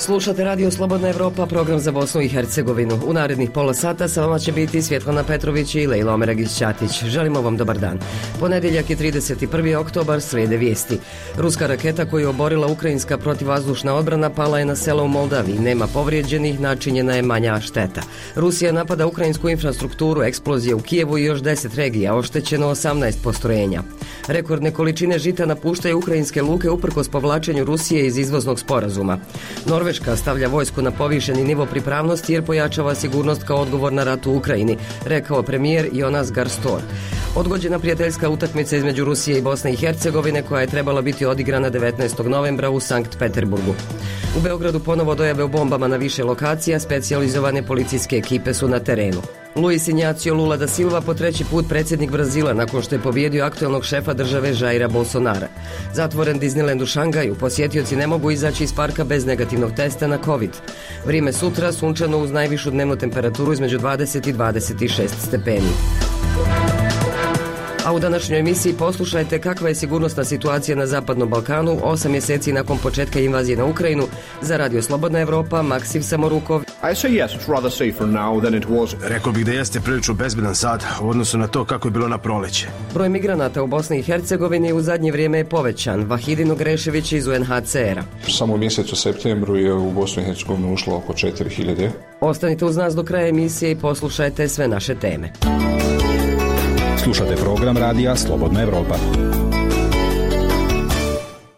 Slušate Radio Slobodna Evropa, program za Bosnu i Hercegovinu. U narednih pola sata sa vama će biti Svjetlana Petrović i Lejla Omeragić-Ćatić. Želimo vam dobar dan. Ponedjeljak je 31. oktobar, slijede vijesti. Ruska raketa koju je oborila ukrajinska protivvazdušna odbrana pala je na selo u Moldaviji. Nema povrijeđenih, načinjena je manja šteta. Rusija napada ukrajinsku infrastrukturu, eksplozije u Kijevu i još 10 regija, oštećeno 18 postrojenja. Rekordne količine žita napuštaju ukrajinske luke uprkos povlačenju Rusije iz izvoznog sporazuma. Norveška stavlja vojsku na povišeni nivo pripravnosti jer pojačava sigurnost kao odgovor na rat u Ukrajini, rekao premijer Jonas Gahr Store. Odgođena prijateljska utakmica između Rusije i Bosne i Hercegovine koja je trebala biti odigrana 19. novembra u Sankt Peterburgu. U Beogradu ponovo dojave o bombama na više lokacija, specijalizovane policijske ekipe su na terenu. Luis Inácio Lula da Silva po treći put predsjednik Brazila nakon što je pobijedio aktualnog šefa države Jaira Bolsonara. Zatvoren Disneyland u Šangaju, posjetioci ne mogu izaći iz parka bez negativnog testa na COVID. Vrijeme sutra sunčano uz najvišu dnevnu temperaturu između 20 i 26 stepeni. A u današnjoj emisiji poslušajte kakva je sigurnosna situacija na Zapadnom Balkanu 8 mjeseci nakon početka invazije na Ukrajinu. Za Radio Slobodna Evropa, Maksim Samorukov. Rekao bih da jeste prilično bezbedan sad u odnosu na to kako je bilo na proleće. Broj migranata u Bosni i Hercegovini u zadnje vrijeme je povećan. Vahidin Grešević iz UNHCR-a. Samo u mjesecu septembru je u Bosnu i Hercegovinu ušlo oko 4000. Ostanite uz nas do kraja emisije i poslušajte sve naše teme. Slušate program Radija Slobodna Evropa.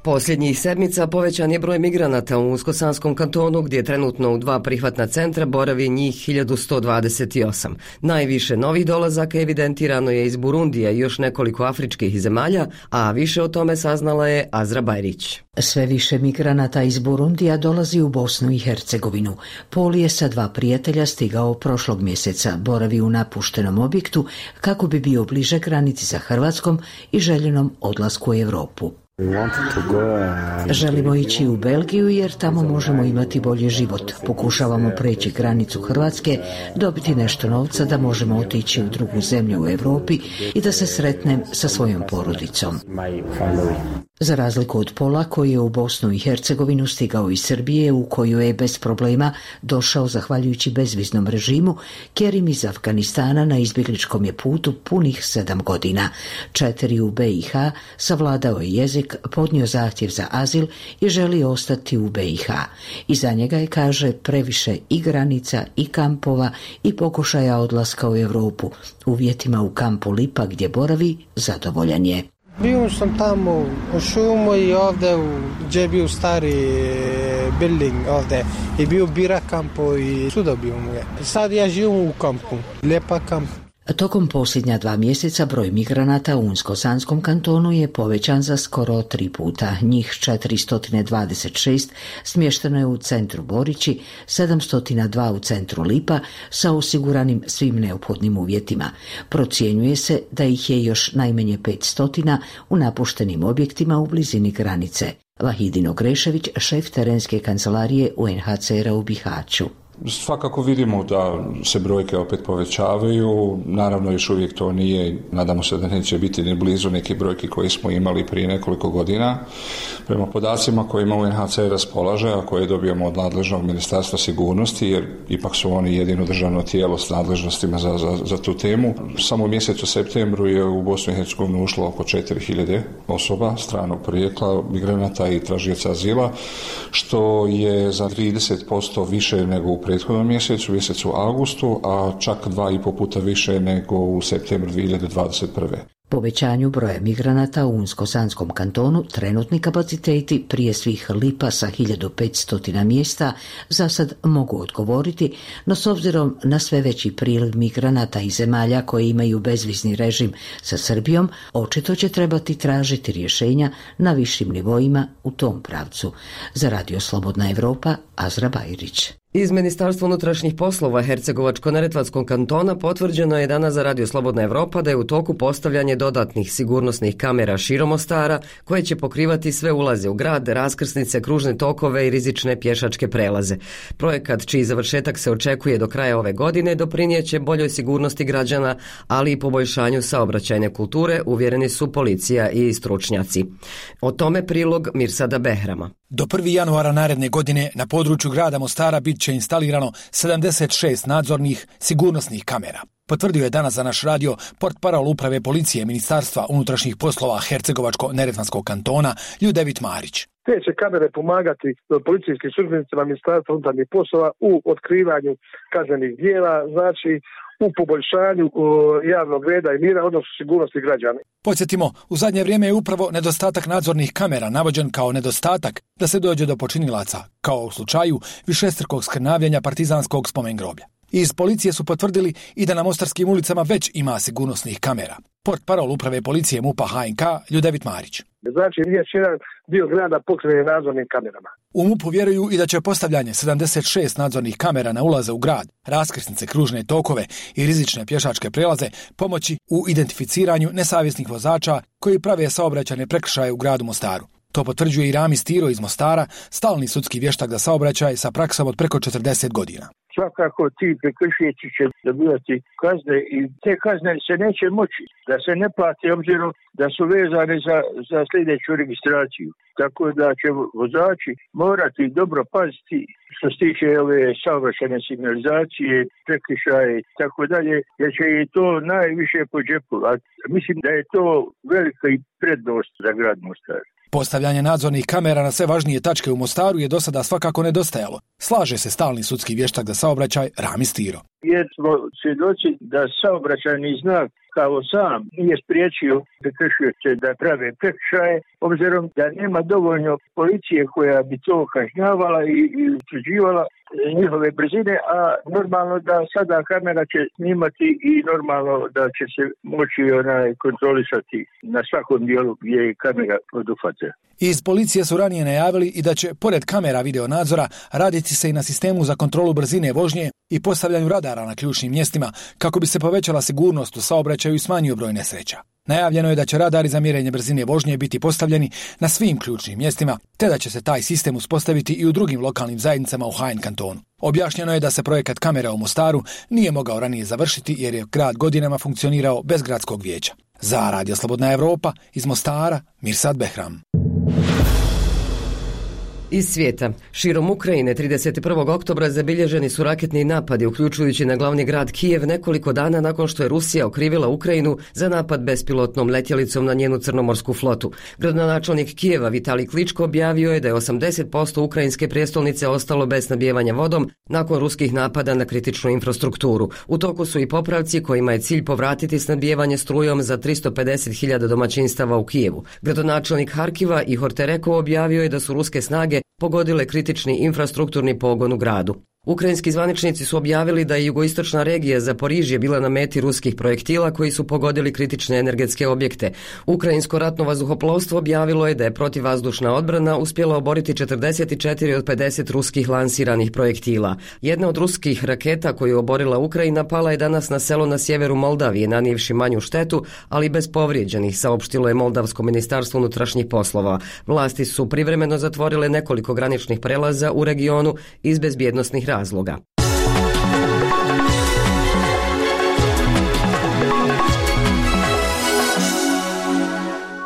Posljednjih sedmica povećan je broj migranata u Unsko-Sanskom kantonu gdje trenutno u 2 prihvatna centra boravi njih 1128. Najviše novih dolazaka evidentirano je iz Burundija i još nekoliko afričkih zemalja, a više o tome saznala je Azra Bajrić. Sve više migranata iz Burundija dolazi u Bosnu i Hercegovinu. Pol je sa 2 prijatelja stigao prošlog mjeseca, boravi u napuštenom objektu kako bi bio bliže granici sa Hrvatskom i željenom odlasku u Europu. Želimo ići u Belgiju jer tamo možemo imati bolji život. Pokušavamo preći granicu Hrvatske, dobiti nešto novca da možemo otići u drugu zemlju u Europi i da se sretnem sa svojom porodicom. Za razliku od Pola koji je u Bosnu i Hercegovinu stigao iz Srbije u koju je bez problema došao zahvaljujući bezviznom režimu, Kerim iz Afganistana na izbjegličkom je putu punih 7 godina. 4 u BiH, savladao je jezik, podnio zahtjev za azil i želi ostati u BiH. Iza njega je, kaže, previše i granica i kampova i pokušaja odlaska u Europu. Uvjetima u kampu Lipa gdje boravi zadovoljan je. Bio sam tamo u šumu i ovdje gdje je bio stari building ovdje i bio bira kampo i suda bio mu je. Sad ja živim u kampu, lijepa kamp. Tokom posljednja 2 mjeseca broj migranata u Unsko-Sanskom kantonu je povećan za skoro 3 puta. Njih 426 smješteno je u centru Borići, 702 u centru Lipa sa osiguranim svim neophodnim uvjetima. Procjenjuje se da ih je još najmanje 500 u napuštenim objektima u blizini granice. Vahidin Grešević, šef terenske kancelarije UNHCR-a u Bihaću. Svakako vidimo da se brojke opet povećavaju, naravno još uvijek to nije, nadamo se da neće biti ni blizu neke brojke koje smo imali prije nekoliko godina. Prema podacima kojima UNHCR raspolaže, a koje dobijamo od nadležnog Ministarstva sigurnosti, jer ipak su oni jedino državno tijelo s nadležnostima za tu temu. Samo u mjesecu septembru je u Bosnu i Hercegovinu ušlo oko 4000 osoba stranog porijekla, migranata i tražioca azila, što je za 30% više nego u prethodnom mjesecu, mjesecu augustu, a čak 2,5 puta više nego u septembru 2021. Povećanju broja migranata u Unsko-Sanskom kantonu trenutni kapaciteti prije svih Lipa sa 1500 mjesta za sad mogu odgovoriti, no s obzirom na sve veći priliv migranata iz zemalja koje imaju bezvizni režim sa Srbijom, očito će trebati tražiti rješenja na višim nivoima u tom pravcu. Za Radio Slobodna Evropa, Azra Bajrić. Iz Ministarstva unutrašnjih poslova Hercegovačko-neretvanskog kantona potvrđeno je danas za Radio Slobodna Evropa da je u toku postavljanje dodatnih sigurnosnih kamera širom Mostara koje će pokrivati sve ulaze u grad, raskrsnice, kružne tokove i rizične pješačke prelaze. Projekat čiji završetak se očekuje do kraja ove godine doprinijeće boljoj sigurnosti građana, ali i poboljšanju saobraćajne kulture, uvjereni su policija i stručnjaci. O tome prilog Mirsada Behrama. Do 1. januara naredne godine na području grada Mostara bit će instalirano 76 nadzornih sigurnosnih kamera. Potvrdio je danas za naš radio portparol uprave policije Ministarstva unutrašnjih poslova Hercegovačko-neretvanskog kantona Ljudevit Marić. Te će kamere pomagati policijskim službenicima Ministarstva unutarnjih poslova u otkrivanju kaznenih djela, znači u poboljšanju javnog reda i mira, odnosno sigurnosti građana. Podsjetimo, u zadnje vrijeme je upravo nedostatak nadzornih kamera navođen kao nedostatak da se dođe do počinilaca, kao u slučaju višestrukog skrnavljenja partizanskog spomen groblja. Iz policije su potvrdili i da na mostarskim ulicama već ima sigurnosnih kamera. Portparol uprave policije MUP-a HNK Ljudevit Marić. Znači, riječ jedan dio grada pokriven nadzornim kamerama. U MUP-u vjeruju i da će postavljanje 76 nadzornih kamera na ulaze u grad, raskrsnice, kružne tokove i rizične pješačke prelaze pomoći u identificiranju nesavjesnih vozača koji prave saobraćajne prekršaje u gradu Mostaru. To potvrđuje i Rami Stiro iz Mostara, stalni sudski vještak za saobraćaj sa praksom od preko 40 godina. Svakako ti prekršitelji će dobivati kazne i te kazne se neće moći da se ne plate obzirom da su vezane za sljedeću registraciju. Tako da će vozači morati dobro paziti što se tiče ove saobraćajne signalizacije, prekršaje i tako dalje, jer će i to najviše po džepu. A mislim da je to velika i prednost za grad Mostar. Postavljanje nadzornih kamera na sve važnije tačke u Mostaru je do sada svakako nedostajalo. Slaže se stalni sudski vještak za saobraćaj Rami Stiro. Jer smo svjedoci da saobraćajni znak kao sam nije spriječio prekršioce da prave prekršaje, obzirom da nema dovoljno policije koja bi to kažnjavala i utvrđivala njihove brzine, a normalno da sada kamera će snimati i normalno da će se moći kontrolisati na svakom dijelu gdje je kamera poduhvata. Iz policije su ranije najavili i da će, pored kamera videonadzora, raditi se i na sistemu za kontrolu brzine vožnje i postavljanju radara na ključnim mjestima kako bi se povećala sigurnost u saobraćaju i smanjio broj nesreća. Najavljeno je da će radari za mjerenje brzine vožnje biti postavljeni na svim ključnim mjestima, te da će se taj sistem uspostaviti i u drugim lokalnim zajednicama u HN kantonu. Objašnjeno je da se projekat kamera u Mostaru nije mogao ranije završiti jer je grad godinama funkcionirao bez gradskog vijeća. Za Radio Slobodna Evropa iz Mostara, Mirsad Behram. Iz svijeta. Širom Ukrajine 31. oktobra zabilježeni su raketni napadi, uključujući na glavni grad Kijev nekoliko dana nakon što je Rusija okrivila Ukrajinu za napad bespilotnom letjelicom na njenu crnomorsku flotu. Gradonačelnik Kijeva Vitalij Kličko objavio je da je 80% ukrajinske prijestolnice ostalo bez snabdijevanja vodom nakon ruskih napada na kritičnu infrastrukturu. U toku su i popravci kojima je cilj povratiti snabdijevanje strujom za 350.000 domaćinstava u Kijevu. Gradonačelnik Harkiva Ihor Terekov objavio je da su ruske snage pogodile kritični infrastrukturni pogon u gradu. Ukrajinski zvaničnici su objavili da je jugoistočna regija Zaporižje bila na meti ruskih projektila koji su pogodili kritične energetske objekte. Ukrajinsko ratno vazduhoplovstvo objavilo je da je protivvazdušna odbrana uspjela oboriti 44 od 50 ruskih lansiranih projektila. Jedna od ruskih raketa koju je oborila Ukrajina pala je danas na selo na sjeveru Moldavije, nanijevši manju štetu, ali bez povrijeđenih, saopštilo je Moldavsko ministarstvo unutrašnjih poslova. Vlasti su privremeno zatvorile nekoliko graničnih prelaza u regionu iz bezbjednosnih razloga.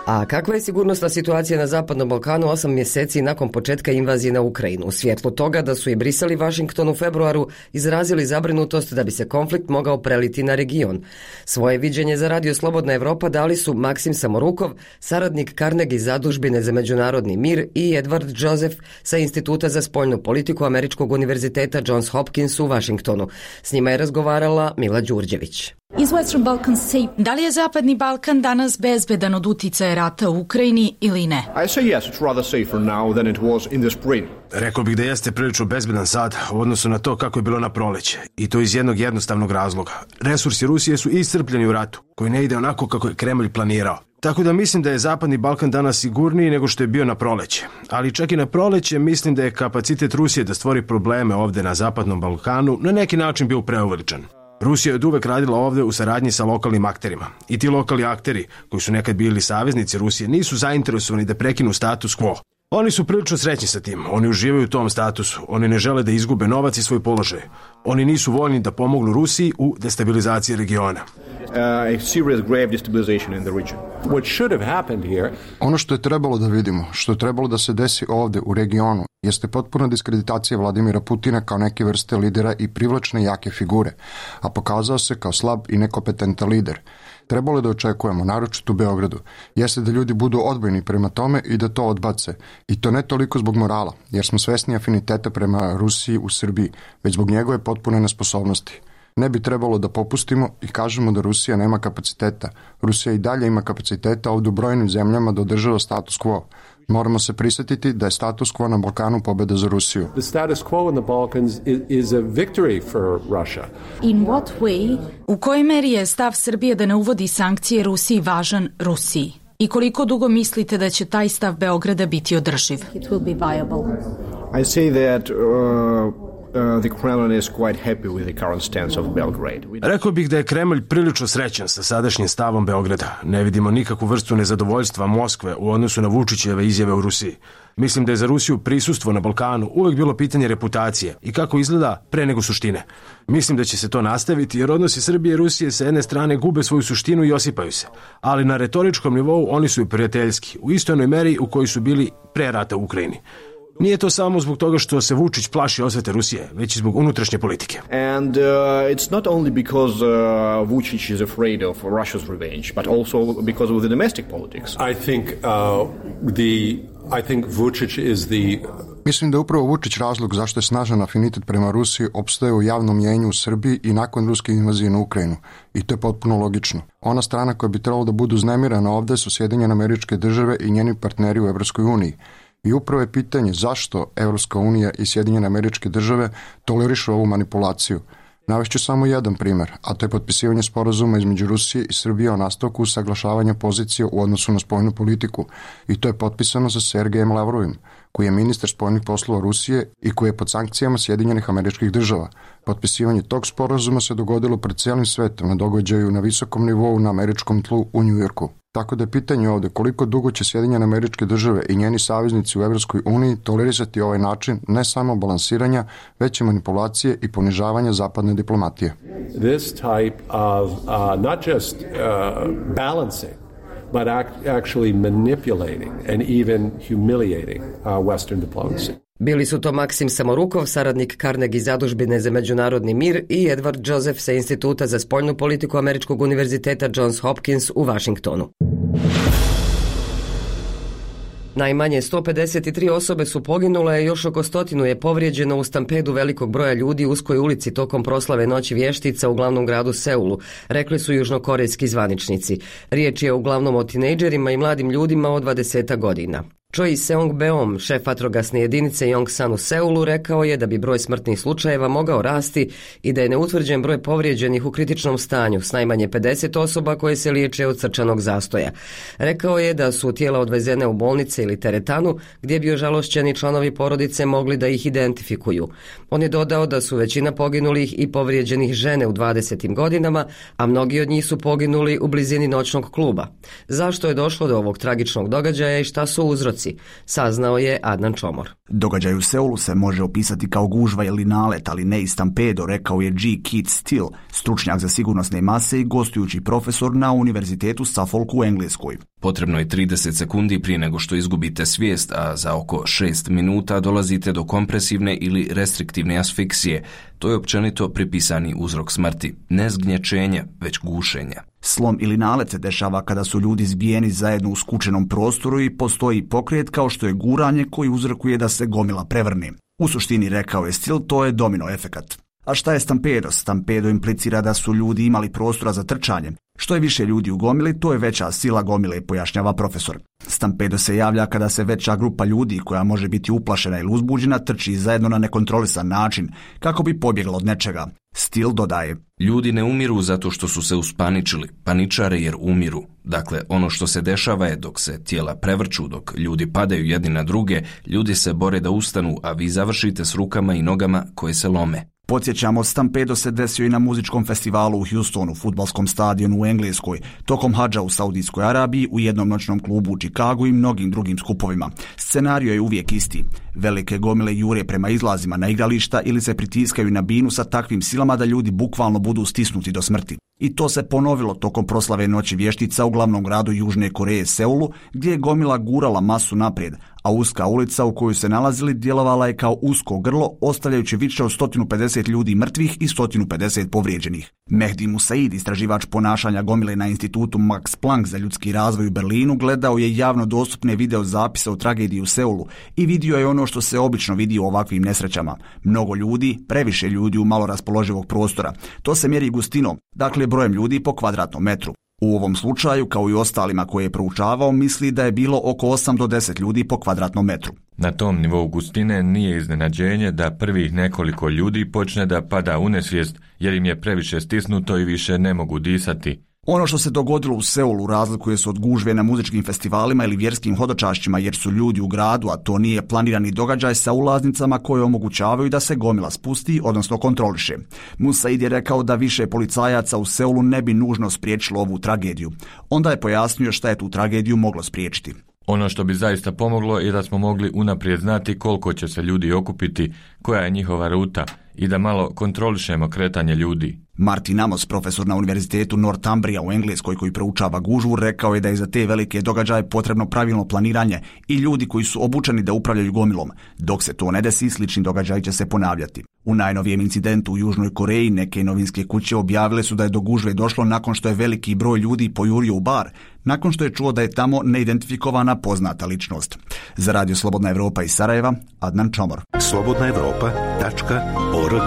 A kakva je sigurnosna situacija na Zapadnom Balkanu 8 mjeseci nakon početka invazije na Ukrajinu? U svjetlu toga da su i Brisel i Washington u februaru izrazili zabrinutost da bi se konflikt mogao preliti na region. Svoje viđenje za Radio Slobodna Evropa dali su Maksim Samorukov, saradnik Carnegie zadužbine za međunarodni mir, i Edward Joseph sa Instituta za spoljnu politiku Američkog univerziteta Johns Hopkins u Washingtonu. S njima je razgovarala Mila Đurđević. Da li je Zapadni Balkan danas bezbedan od uticaja rata u Ukrajini ili ne? Rekao bih da jeste prilično bezbedan sad u odnosu na to kako je bilo na proleće. I to iz jednog jednostavnog razloga. Resursi Rusije su iscrpljeni u ratu, koji ne ide onako kako je Kremlj planirao. Tako da mislim da je Zapadni Balkan danas sigurniji nego što je bio na proleće. Ali čak i na proleće mislim da je kapacitet Rusije da stvori probleme ovde na Zapadnom Balkanu na neki način bio preuveličan. Rusija je od uvek radila ovde u saradnji sa lokalnim akterima. I ti lokalni akteri, koji su nekad bili saveznici Rusije, nisu zainteresovani da prekinu status quo. Oni su prilično srećni sa tim, oni uživaju u tom statusu, oni ne žele da izgube novac i svoj položaj. Oni nisu voljni da pomognu Rusiji u destabilizaciji regiona. Ono što je trebalo da vidimo, što je trebalo da se desi ovde u regionu, jeste potpuna diskreditacija Vladimira Putina kao neke vrste lidera i privlačne jake figure, a pokazao se kao slab i nekompetentan lider. Trebalo je da očekujemo, naročito u Beogradu, jeste da ljudi budu odbojni prema tome i da to odbace. I to ne toliko zbog morala, jer smo svesni afiniteta prema Rusiji u Srbiji, već zbog njegove potpune nesposobnosti. Ne bi trebalo da popustimo i kažemo da Rusija nema kapaciteta. Rusija i dalje ima kapaciteta ovdje u brojnim zemljama da održava status quo. Moramo se prisjetiti da je status quo na Balkanu pobjeda za Rusiju. The status quo in the Balkans is a victory for Russia. In what way? U kojoj meri je stav Srbije da ne uvodi sankcije Rusiji važan Rusiji? I koliko dugo mislite da će taj stav Beograda biti održiv? It will be viable. I say that the Kremlin is quite happy with the current stance of Belgrade. Rekao bih da je Kremlj prilično srećan sa sadašnjim stavom Beograda. Ne vidimo nikakvu vrstu nezadovoljstva Moskve u odnosu na Vučićeve izjave u Rusiji. Mislim da je za Rusiju prisustvo na Balkanu uvek bilo pitanje reputacije i kako izgleda pre nego suštine. Mislim da će se to nastaviti jer odnosi Srbije i Rusije sa jedne strane gube svoju suštinu i osipaju se. Ali na retoričkom nivou oni su i prijateljski, u istoj onoj meri u kojoj su bili pre rata u Ukrajini. Nije to samo zbog toga što se Vučić plaši osvete Rusije, već i zbog unutrašnje politike. And it's not only because Vučić is afraid of Russia's revenge, but also because of the domestic politics. I think Vučić is the... Mislim da je upravo Vučić razlog zašto je snažan afinitet prema Rusiji opstaje u javnom mjenju u Srbiji i nakon ruske invazije na Ukrajinu. I to je potpuno logično. Ona strana koja bi trebalo da budu uznemirana ovde su Sjedinjene Američke Države i njeni partneri u Evropskoj uniji. I upravo je pitanje zašto Evropska unija i Sjedinjene Američke Države tolerišu ovu manipulaciju. Navešću samo jedan primer, a to je potpisivanje sporazuma između Rusije i Srbije o nastavku usaglašavanja pozicije u odnosu na spoljnu politiku. I to je potpisano sa Sergejem Lavrovim, koji je ministar spoljnih poslova Rusije i koji je pod sankcijama Sjedinjenih Američkih Država. Potpisivanje tog sporazuma se dogodilo pred cijelim svetom na događaju na visokom nivou na američkom tlu u Njujorku. Tako da je pitanje ovde koliko dugo će Sjedinjene Američke Države i njeni saveznici u Evropskoj uniji tolerisati ovaj način ne samo balansiranja, već i manipulacije i ponižavanja zapadne diplomatije. This type of not just balancing, but actually manipulating and even humiliating Western diplomacy. Bili su to Maksim Samorukov, saradnik Carnegie zadužbine za međunarodni mir i Edward Joseph sa Instituta za spoljnu politiku Američkog univerziteta Johns Hopkins u Vašingtonu. Najmanje 153 osobe su poginule, još oko 100 je povrijeđeno u stampedu velikog broja ljudi u uskoj ulici tokom proslave Noći vještica u glavnom gradu Seulu, rekli su južnokorejski zvaničnici. Riječ je uglavnom o tinejdžerima i mladim ljudima od 20 godina. Choi Seong-beom, šef vatrogasne jedinice Yongsan u Seulu, rekao je da bi broj smrtnih slučajeva mogao rasti i da je neutvrđen broj povrijeđenih u kritičnom stanju s najmanje 50 osoba koje se liječe od srčanog zastoja. Rekao je da su tijela odvezene u bolnice ili teretanu gdje bi ožalošćeni članovi porodice mogli da ih identifikuju. On je dodao da su većina poginulih i povrijeđenih žene u 20. godinama, a mnogi od njih su poginuli u blizini noćnog kluba. Zašto je došlo do ovog tragičnog događaja i šta su uzroci? Saznao je Adnan Čomor. Događaj u Seulu se može opisati kao gužva ili nalet, ali ne i stampedo, rekao je G. Keith Steele, stručnjak za sigurnosne mase i gostujući profesor na Univerzitetu Suffolk u Engleskoj. Potrebno je 30 sekundi prije nego što izgubite svijest, a za oko 6 minuta dolazite do kompresivne ili restriktivne asfiksije. To je općenito pripisani uzrok smrti. Ne zgnječenje, već gušenje. Slom ili nalet se dešava kada su ljudi zbijeni zajedno u skučenom prostoru i postoji pokret kao što je guranje koji uzrokuje da se gomila prevrne. U suštini, rekao je Steele, to je domino efekat. A šta je stampedo? Stampedo implicira da su ljudi imali prostora za trčanje, Što je više ljudi u gomili, to je veća sila gomile, pojašnjava profesor. Stampedo se javlja kada se veća grupa ljudi koja može biti uplašena ili uzbuđena trči zajedno na nekontrolisan način kako bi pobjegla od nečega. Stil dodaje: ljudi ne umiru zato što su se uspaničili, paničare jer umiru. Dakle, ono što se dešava je dok se tijela prevrću, dok ljudi padaju jedni na druge, ljudi se bore da ustanu, a vi završite s rukama i nogama koje se lome. Podsjećamo, stampedo se desio i na muzičkom festivalu u Houstonu, fudbalskom stadionu u Engleskoj, tokom hadža u Saudijskoj Arabiji, u jednom noćnom klubu u Čikagu i mnogim drugim skupovima. Scenario je uvijek isti. Velike gomile jure prema izlazima na igrališta ili se pritiskaju na binu sa takvim silama da ljudi bukvalno budu stisnuti do smrti. I to se ponovilo tokom proslave Noći vještica u glavnom gradu Južne Koreje, Seulu, gdje je gomila gurala masu naprijed, a uska ulica u kojoj se nalazili djelovala je kao usko grlo, ostavljajući više od 150 ljudi mrtvih i 150 povrijeđenih. Mehdi Musaid, istraživač ponašanja gomile na institutu Max Planck za ljudski razvoj u Berlinu, gledao je javno dostupne video zapise o tragediji u Seulu i vidio je ono što se obično vidi u ovakvim nesrećama. Mnogo ljudi, previše ljudi u malo raspoloživog prostora. To se mjeri gustinom, dakle brojem ljudi po kvadratnom metru. U ovom slučaju, kao i ostalima koje je proučavao, misli da je bilo oko 8 do 10 ljudi po kvadratnom metru. Na tom nivou gustine nije iznenađenje da prvih nekoliko ljudi počne da pada u nesvijest jer im je previše stisnuto i više ne mogu disati. Ono što se dogodilo u Seulu razlikuje se od gužve na muzičkim festivalima ili vjerskim hodočašćima jer su ljudi u gradu, a to nije planirani događaj sa ulaznicama koje omogućavaju da se gomila spusti, odnosno kontroliše. Musaid je rekao da više policajaca u Seulu ne bi nužno spriječilo ovu tragediju. Onda je pojasnio šta je tu tragediju moglo spriječiti. Ono što bi zaista pomoglo je da smo mogli unaprijed znati koliko će se ljudi okupiti, koja je njihova ruta i da malo kontrolišemo kretanje ljudi. Martin Amos, profesor na Univerzitetu Northumbria u Engleskoj koji proučava gužvu, rekao je da je za te velike događaje potrebno pravilno planiranje i ljudi koji su obučeni da upravljaju gomilom. Dok se to ne desi, slični događaj će se ponavljati. U najnovijem incidentu u Južnoj Koreji neke novinske kuće objavile su da je do gužve došlo nakon što je veliki broj ljudi pojurio u bar, nakon što je čuo da je tamo neidentifikovana poznata ličnost. Za Radio Slobodna Evropa iz Sarajeva, Adnan Čomor. slobodnaevropa.org.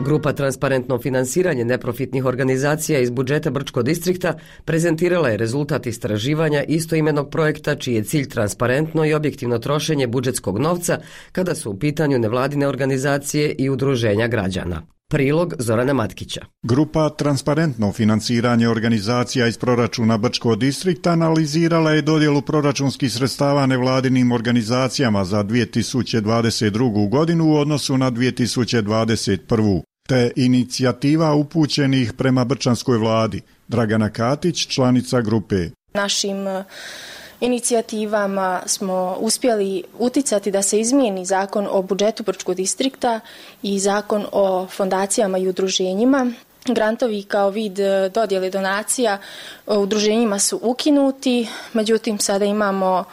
Grupa Transparentno finansiranje neprofitnih organizacija iz budžeta Brčkog distrikta prezentirala je rezultat istraživanja istoimenog projekta čiji je cilj transparentno i objektivno trošenje budžetskog novca kada su u pitanju nevladine organizacije i udruženja građana. Prilog Zorana Matkića. Grupa Transparentno finansiranje organizacija iz proračuna Brčkog distrikta analizirala je dodjelu proračunskih sredstava nevladinim organizacijama za 2022. godinu u odnosu na 2021. te inicijativa upućenih prema brčanskoj vladi. Dragana Katić, članica grupe. Našim inicijativama smo uspjeli uticati da se izmijeni zakon o budžetu Brčkog distrikta i zakon o fondacijama i udruženjima. Grantovi kao vid dodjele donacija udruženjima su ukinuti, međutim sada imamo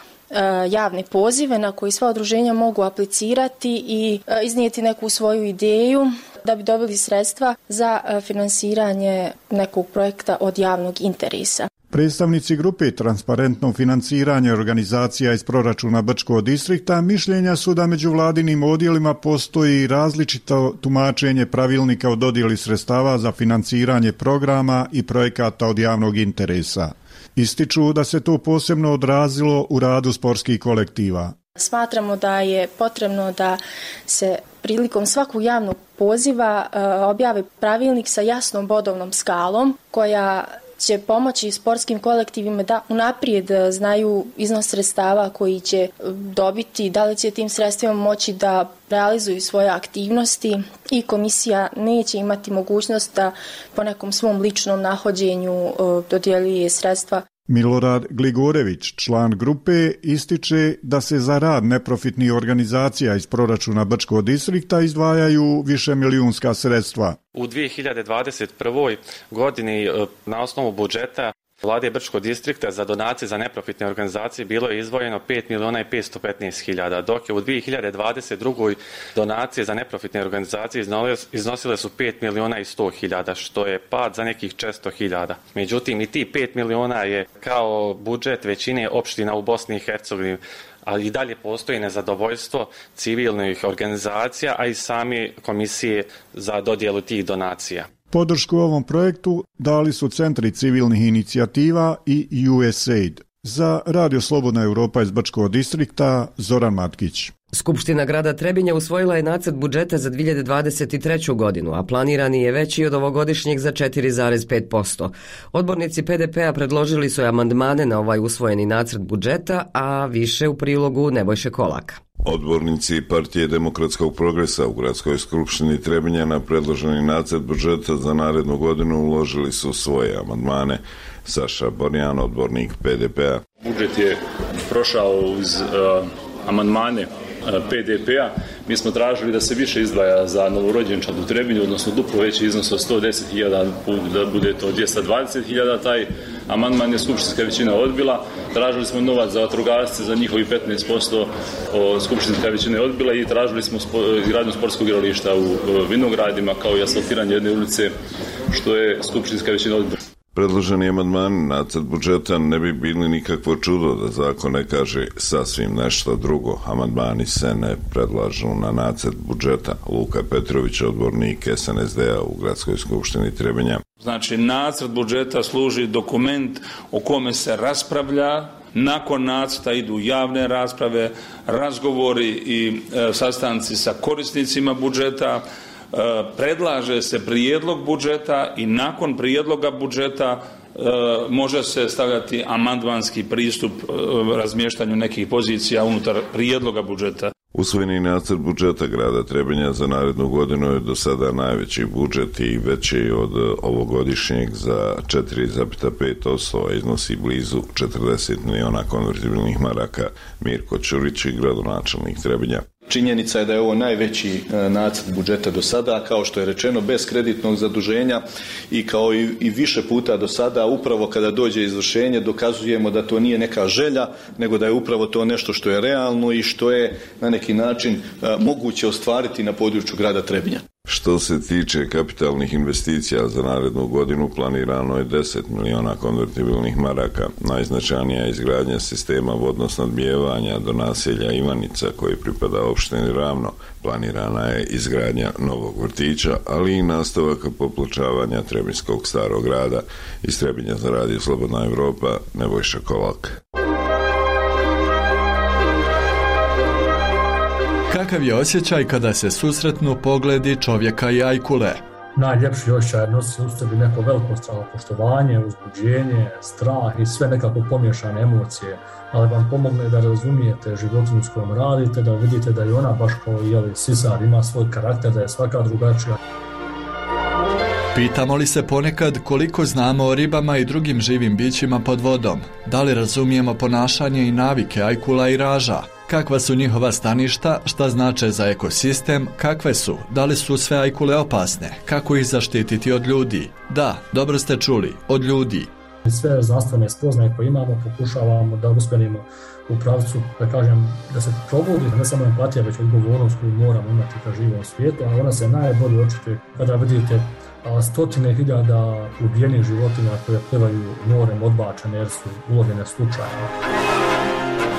javne pozive na koji sva udruženja mogu aplicirati i iznijeti neku svoju ideju da bi dobili sredstva za finansiranje nekog projekta od javnog interesa. Predstavnici grupe Transparentno financiranje organizacija iz proračuna Brčkog distrikta mišljenja su da među vladinim odjelima postoji različito tumačenje pravilnika o dodjeli sredstava za financiranje programa i projekata od javnog interesa. Ističu da se to posebno odrazilo u radu sportskih kolektiva. Smatramo da je potrebno da se prilikom svakog javnog poziva objavi pravilnik sa jasnom bodovnom skalom koja će pomoći sportskim kolektivima da unaprijed znaju iznos sredstava koji će dobiti, da li će tim sredstvima moći da realizuju svoje aktivnosti i komisija neće imati mogućnost da po nekom svom ličnom nahođenju dodjeljuje sredstva. Milorad Gligorević, član grupe, ističe da se za rad neprofitnih organizacija iz proračuna Brčkog distrikta izdvajaju višemilijunska sredstva. U 2021. godini na osnovu budžeta Vlade Brčkog distrikta za donacije za neprofitne organizacije bilo je izdvojeno 5.515.000, dok je u 2022. donacije za neprofitne organizacije iznosile su 5.100.000, što je pad za nekih 400.000. Međutim, i ti 5 miliona je kao budžet većine opština u Bosni i Hercegovini, ali i dalje postoji nezadovoljstvo civilnih organizacija, a i same komisije za dodjelu tih donacija. Podršku ovom projektu dali su Centri civilnih inicijativa i USAID. Za Radio Slobodna Europa iz Brčkog distrikta, Zoran Matkić. Skupština grada Trebinja usvojila je nacrt budžeta za 2023. godinu, a planirani je veći od ovogodišnjeg za 4,5%. Odbornici PDP-a predložili su amandmane na ovaj usvojeni nacrt budžeta, a više u prilogu Nebojše Kolaka. Odbornici Partije demokratskog progresa u Gradskoj skupštini Trebinja na predloženi nacrt budžeta za narednu godinu uložili su svoje amandmane. Saša Borjan, odbornik PDP-a. Budžet je prošao uz amandmane PDP-a. Mi smo tražili da se više izdvaja za novorođenčad u Trebinju, odnosno duplo veći iznos od 110.000, da bude to 220.000. Taj amandman je skupštinska većina odbila. Tražili smo novac za vatrogasce, za njihovi 15%, skupštinska većina je odbila, i tražili smo izgradnju sportskog igrališta u Vinogradima, kao i asfaltiranje jedne ulice, što je skupštinska većina odbila. Predloženi amandmani nacrt budžeta ne bi bili nikakvo čudo da zakon ne kaže sasvim nešto drugo. Amandmani se ne predlažu na nacrt budžeta. Luka Petrović, odbornik SNSD-a u Gradskoj skupštini Trebinja. Znači, nacrt budžeta služi dokument o kome se raspravlja. Nakon nacrta idu javne rasprave, razgovori i sastanci sa korisnicima budžeta. Predlaže se prijedlog budžeta i nakon prijedloga budžeta može se stavljati amandmanski pristup razmještanju nekih pozicija unutar prijedloga budžeta. Usvojeni nacrt budžeta grada Trebinja za narednu godinu je do sada najveći budžet i veći od ovogodišnjeg za 4,5%, a iznosi blizu 40 miliona konvertibilnih maraka. Mirko Ćurić, gradonačelnik Trebinja. Činjenica je da je ovo najveći nacrt budžeta do sada, kao što je rečeno, bez kreditnog zaduženja, i kao i više puta do sada, upravo kada dođe izvršenje dokazujemo da to nije neka želja, nego da je upravo to nešto što je realno i što je na neki način moguće ostvariti na području grada Trebinja. Što se tiče kapitalnih investicija za narednu godinu, planirano je 10 miliona konvertibilnih maraka. Najznačajnija je izgradnja sistema vodosnabdijevanja do naselja Ivanica, koji pripada opštini Ravno. Planirana je izgradnja novog vrtića, ali i nastavak popločavanja Trebinjskog starog grada. Iz Trebinja za Radio Slobodna Europa, Nebojša Kolak. Kakav je osjećaj kada se susretnu pogledi čovjeka i ajkule? Najljepši osjećaj nosi u sebi neko veliko poštovanje, uzbuđenje, strah i sve nekako pomiješane emocije, ali vam pomogne da razumijete životinju s kojom radite, da vidite da je ona baš kao sisar, ima svoj karakter, da je svaka drugačija. Pitamo li se ponekad koliko znamo o ribama i drugim živim bićima pod vodom? Da li razumijemo ponašanje i navike ajkula i raža? Kakva su njihova staništa, šta znače za ekosistem, kakve su, da li su sve ajkule opasne, kako ih zaštititi od ljudi? Da, dobro ste čuli, od ljudi. Sve znanstvene spoznaje koje imamo pokušavamo da usmjerimo u pravcu, da kažem, da se probudi ne samo empatija, već odgovornost koju moramo imati ka živom svijetu, a ona se najbolje očituje kada vidite stotine hiljada ubijenih životinja koje plivaju morem odbačene jer su ulovljene slučajno.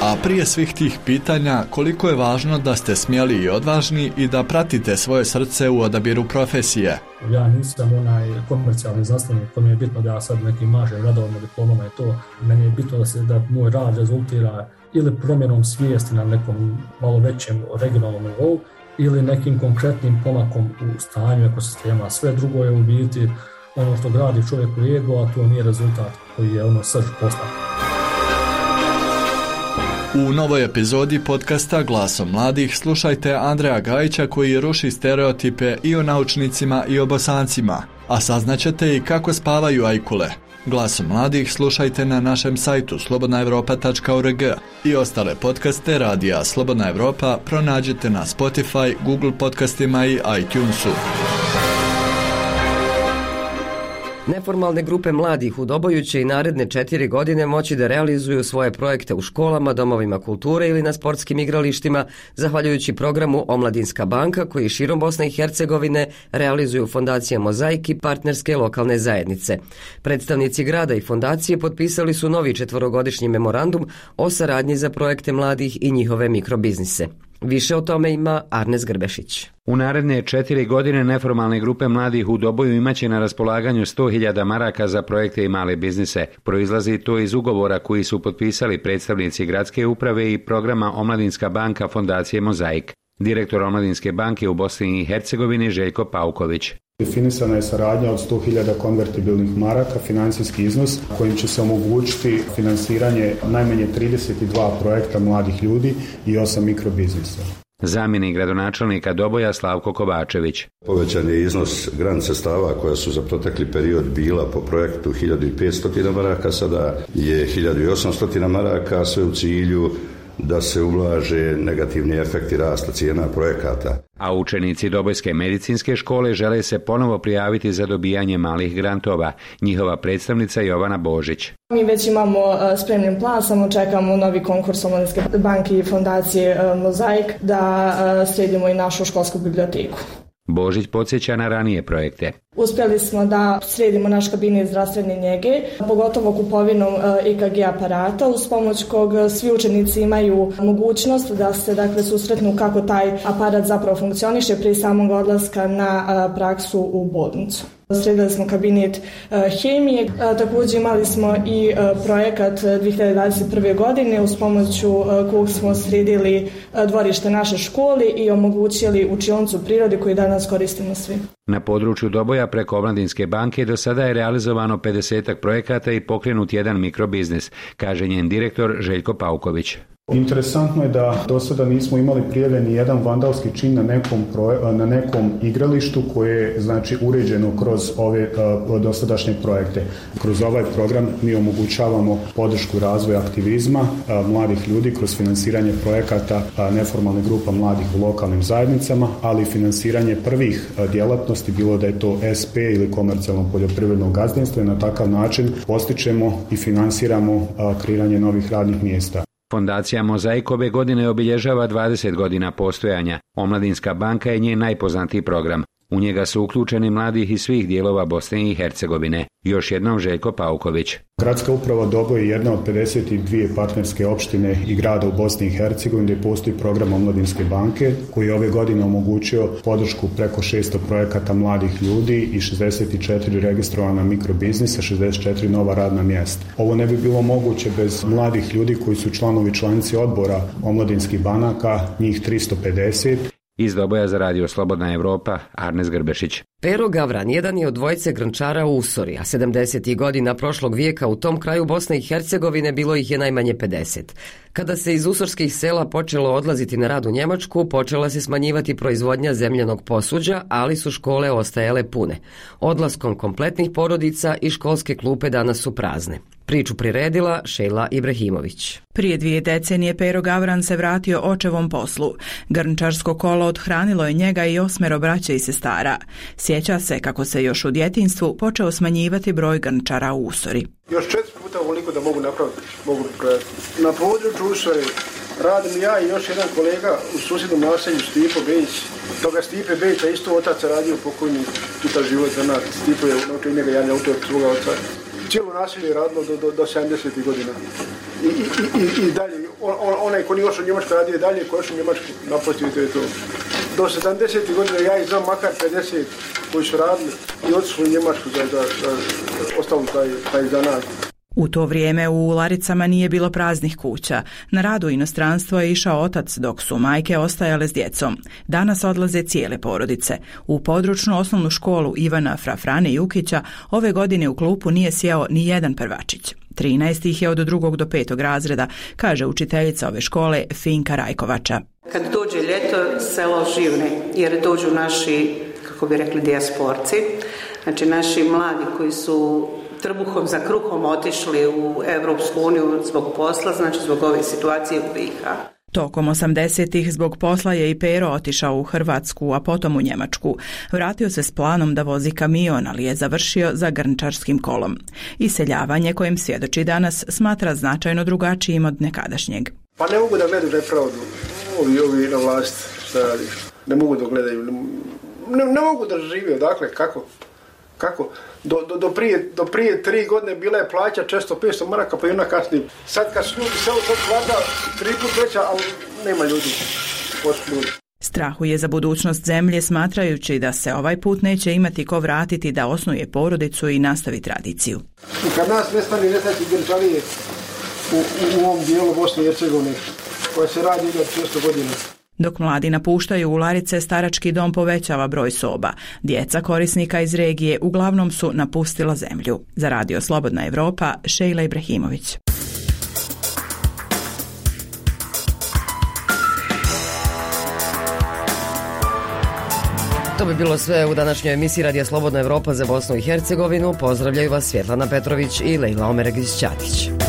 A prije svih tih pitanja, koliko je važno da ste smjeli i odvažni i da pratite svoje srce u odabiru profesije? Ja nisam onaj komercijalni znanstvenik, to mi je bitno da ja sad nekim mažem radovima, diplomama i to. Meni je bitno da moj rad rezultira ili promjenom svijesti na nekom malo većem regionalnom nivou ili nekim konkretnim pomakom u stanju ekosistema. Sve drugo je u biti ono što gradi čovjeku ego, a to nije rezultat koji je srž posla. U novoj epizodi podcasta Glasom mladih slušajte Andreja Gajića koji ruši stereotipe i o naučnicima i o Bosancima, a saznaćete i kako spavaju ajkule. Glasom mladih slušajte na našem sajtu slobodnaevropa.org i ostale podcaste Radija Slobodna Evropa pronađite na Spotify, Google podcastima i iTunesu. Neformalne grupe mladih u Doboju će i naredne 4 godine moći da realizuju svoje projekte u školama, domovima kulture ili na sportskim igralištima, zahvaljujući programu Omladinska banka koji širom Bosne i Hercegovine realizuju fondacija Mozaik i partnerske lokalne zajednice. Predstavnici grada i fondacije potpisali su novi 4-godišnji memorandum o saradnji za projekte mladih i njihove mikrobiznise. Više o tome ima Arnes Grbešić. U naredne 4 godine neformalne grupe mladih u Doboju imaće na raspolaganju 100.000 maraka za projekte i male biznise. Proizlazi to iz ugovora koji su potpisali predstavnici gradske uprave i programa Omladinska banka Fondacije Mozaik. Direktor Omladinske banke u Bosni i Hercegovini Željko Pauković. Definisana je saradnja od 100.000 konvertibilnih maraka, financijski iznos kojim će se omogućiti finansiranje najmanje 32 projekta mladih ljudi i 8 mikrobiznisa. Zamjenik gradonačelnika Doboja Slavko Kovačević. Povećan je iznos grant sredstava koja su za protekli period bila po projektu 1500 maraka, sada je 1800 maraka, sve u cilju da se ublaže negativni efekti rasta cijena projekata. A učenici Dobojske medicinske škole žele se ponovo prijaviti za dobijanje malih grantova. Njihova predstavnica Jovana Božić. Mi već imamo spremljen plan, samo čekamo novi konkurs Omladinske banke i Fondacije Mozaik da sredimo i našu školsku biblioteku. Božić podsjeća na ranije projekte. Uspjeli smo da sredimo naš kabinet zdravstvene njege, pogotovo kupovinom EKG aparata, uz pomoć kog svi učenici imaju mogućnost da se susretnu kako taj aparat zapravo funkcioniše prije samog odlaska na praksu u bolnicu. Sredili smo kabinet hemije, također imali smo i projekat 2021. godine uz pomoću kog smo sredili dvorište naše škole i omogućili učionicu prirode koju danas koristimo svi. Na području Doboja preko Omladinske banke do sada je realizovano 50 projekata i pokrenut jedan mikrobiznis, kaže njen direktor Željko Pauković. Interesantno je da do sada nismo imali prijavljeni jedan vandalski čin na nekom igralištu koje je uređeno kroz ove dosadašnje projekte. Kroz ovaj program mi omogućavamo podršku razvoja aktivizma mladih ljudi kroz finansiranje projekata neformalne grupa mladih u lokalnim zajednicama, ali i finansiranje prvih djelatnosti, bilo da je to SP ili komercijalno poljoprivredno gazdinstvo, i na takav način postičemo i finansiramo kreiranje novih radnih mjesta. Fondacija Mozaik ove godine obilježava 20 godina postojanja. Omladinska banka je njen najpoznatiji program. U njega su uključeni mladih iz svih dijelova Bosne i Hercegovine. Još jednom Željko Pauković. Gradska uprava Doboj je jedna od 52 partnerske opštine i grada u Bosni i Hercegovini gdje postoji program Omladinske banke koji je ove godine omogućio podršku preko 600 projekata mladih ljudi i 64 registrovana mikrobiznisa, 64 nova radna mjesta. Ovo ne bi bilo moguće bez mladih ljudi koji su članovi članici odbora omladinskih banaka, njih 350. Iz Doboja za radio Slobodna Evropa, Arnes Grbešić. Pero Gavran jedan je od dvojice grnčara u Usori, a 70. godina prošlog vijeka u tom kraju Bosne i Hercegovine bilo ih je najmanje 50. Kada se iz usorskih sela počelo odlaziti na rad u Njemačku, počela se smanjivati proizvodnja zemljanog posuđa, ali su škole ostajale pune. Odlaskom kompletnih porodica i školske klupe danas su prazne. Priču priredila Šejla Ibrahimović. Prije 2 decenije Pero Gavran se vratio očevom poslu. Grnčarsko kolo odhranilo je njega i 8 braće i sestara. Sjeća se kako se još u djetinjstvu počeo smanjivati broj grnčara u Usori. Još 4 puta ovoliko da mogu napraviti, mogu prodati. Na području Usore radim ja i još jedan kolega u susjednom naselju Stipo Bejić. Toga Stipe Bejića isto otac radio pokojni čitav život za nas. Stipo je naučio njega jedan autor svoga oca. Cijelo naselje je radilo do 70. godina. I dalje, onaj ko nije ošao u Njemačku radio dalje, ko je ošao u Njemačku, napustio to je to. Do 70. godina ja ih znam makar 50 koji su radili i otišli u Njemačku za ostavili taj zanat. U to vrijeme u Laricama nije bilo praznih kuća. Na rad u inostranstvo je išao otac dok su majke ostajale s djecom. Danas odlaze cijele porodice. U područnu osnovnu školu Ivana Frafrane Jukića ove godine u klupu nije sjeo ni jedan prvačić. 13 ih je od 2. do 5. razreda, kaže učiteljica ove škole Finka Rajkovača. Kad dođe ljeto, selo živne, jer dođu naši, kako bi rekli, dijasporci, znači naši mladi koji su trbuhom za kruhom otišli u Europsku uniju zbog posla, znači zbog ove situacije u BiH. Tokom 80-ih zbog posla je i Pero otišao u Hrvatsku, a potom u Njemačku. Vratio se s planom da vozi kamion, ali je završio za grnčarskim kolom. Iseljavanje kojim svjedoči danas smatra značajno drugačijim od nekadašnjeg. Pa ne mogu da gledaju nepravdu ovi na vlast šta radi. Ne mogu da gledaju, ne mogu da žive, dakle, kako? Do prije 3 godine bila je plaća 400-500 maraka, pa i ona kasnije. Sad kad su ljudi selo sad plata 3 put veća, ali nema ljudi. pospljuli. Strahuje za budućnost zemlje, smatrajući da se ovaj put neće imati ko vratiti da osnuje porodicu i nastavi tradiciju. I kad nas nestane Grčanije u ovom dijelu Bosne i Hercegovine, koja se radi 1600 godina. Dok mladi napuštaju Ularice, starački dom povećava broj soba. Djeca korisnika iz regije uglavnom su napustila zemlju. Za Radio Slobodna Evropa, Šejla Ibrahimović. To bi bilo sve u današnjoj emisiji Radija Slobodna Evropa za Bosnu i Hercegovinu. Pozdravljaju vas Svjetlana Petrović i Lejla Omeregić-Ćatić.